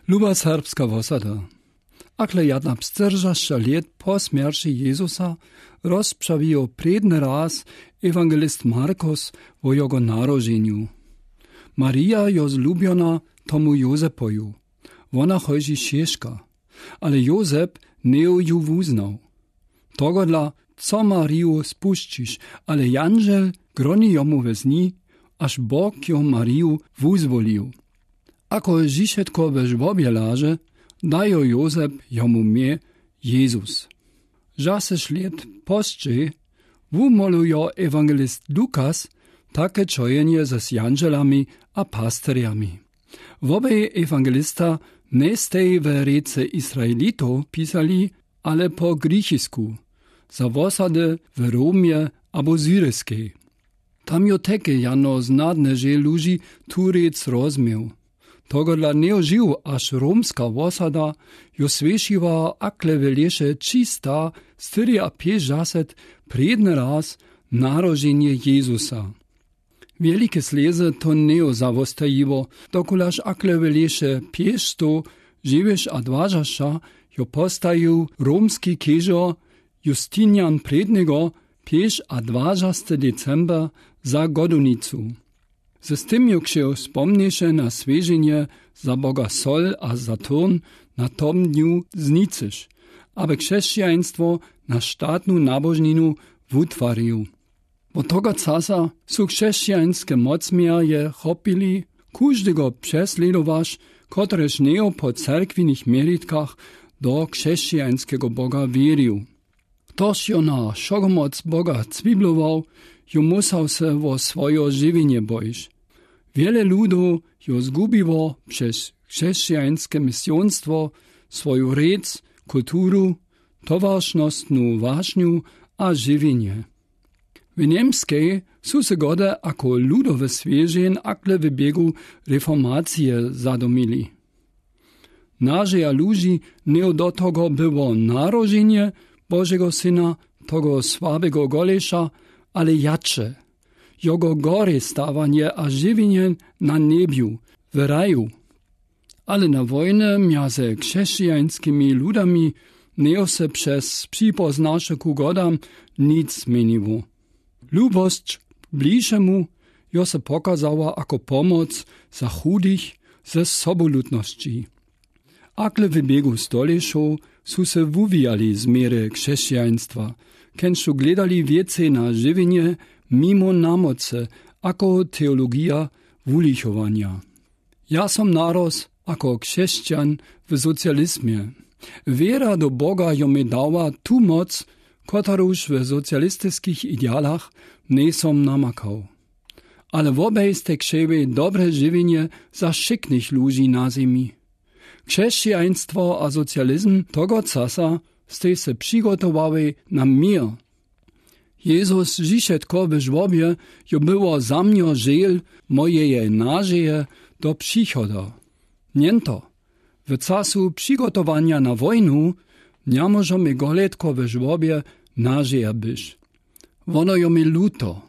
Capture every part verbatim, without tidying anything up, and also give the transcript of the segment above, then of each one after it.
Luba serbska wosada. Akle jadnapsceržaścia let po smierci Jezusa rozpřawijo prědny raz ewangelist Markus wo jogo narodźenju. Marija jo zlubjona tomu Józepoju. Wona chózy seška. Ale Józep njejo ju wuznał. Togodla, co Mariju spušćiš? Ale janžel groni jomu we sni, aż Bóg jo Mariju wuzwolił. Ako wšitko we żłobje laže, dajo Józep jomu mie Jezus. Žasyš let pózdźej wumolujo ewangelist Lukas take čojenje z janželami a pasterjami. Wobej ewangelista njestej we rěce Izraelitow pisali, ale po grikisku, za wosady w Romje abo Syriskej. Tam jo teky jano znadny žel luži tu rěc rozmił. Togodla njejo žił, aż romska wosada jo słyšiła, akle we leše trzista štyriapjećdźaset prědny raz narodźenje Jezusa. Wielike slězy to njejo zawostajiło, dokulaž akle we leše pjećsto dźewjećadwažaścia jo postajił romski kežo Justinian Prědnego pjećadwažasty december za godownicu. Z tym jo kśeł spomnješe na swježenje za boga Sol a Saturn na tom dniu znicyš, aby křesćaństwo na štatnu nabožninu wutwarił. Wot togo czasu su křesćańske mocmjerje chopili kóżdego přeslědowaš, kotryż njejo po cerkwinych měritkach do křesćańskego boga wěrił. Chtož jo na wšogomoc boga cwiblował, jo musał se wo swojo žiwjenje bojić. Wiele ludow jo zgubiło přez křesćańske misyonstwo swoju rěc, kulturu, towaršnostnu wašnju a žiwjenje. W Němskej su se gode ako ludowy swježeń akle w běgu reformacije zadomili. Nažeja luži njejo do togo było narodźenje Božego Syna, togo słabego goleša, ale jače jogo gorje stawanje a žiwjenje na njebju, w raju. Ale na wojny mjaze křesćańskimi ludami njejo se přez připoznaše ku godam nic změniło. Lubosć k bližemu jo se pokazała ako pomoc za chudych ze sobolutnosći. Akle w běgu stolěćow su se wuwijali změry křesćaństwa, kenž su gledali wěcej na žiwjenje mimo namocy ako teologija wulichowanja. Ja som naroz ako křesćan w socializmje. Wěra do Boga jo mie dała tu moc, kotraż w socialistiskich idealach njejsom namakał. Ale wobaj stej křćeli dobre žiwjenje za wšitnych luži na zemi. Křesćaństwo a socializm togo czasu stej se přigotowali na měr. Jezus žišetko w žłobje jo było za mnjo žel mojeje nažeje do přichoda. Njeńto, w czasu přigotowanja na wojnu njamóžo mie goletko w žłobje nažeja być. Wono jo mie luto.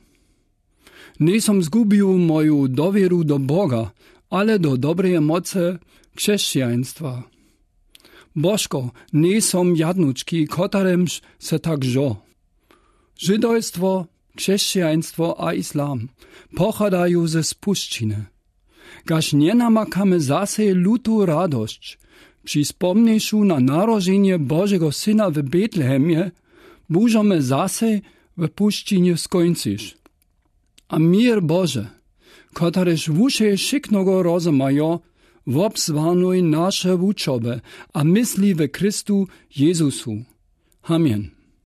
Njejsom zgubił moju dowěru do Boga, ale do dobreje mocy křesćaństwa. Božko, njejsom jadnučki, kotrymž se tak žo. Žydojstwo, křesćaństwo a islam pochadaju ze spušćiny. Kaž njenamakamy zase lutu radosć při spomnjeńšu na narodźenje Božego Syna w Betlehemje, móžemy zase w pušćinje skóńcyć. A měr Bože, kotryż wuše wšitnogo rozmajo, wobsłagnuj naše wučoby a mysli w Chrystu Jezusu. Amen.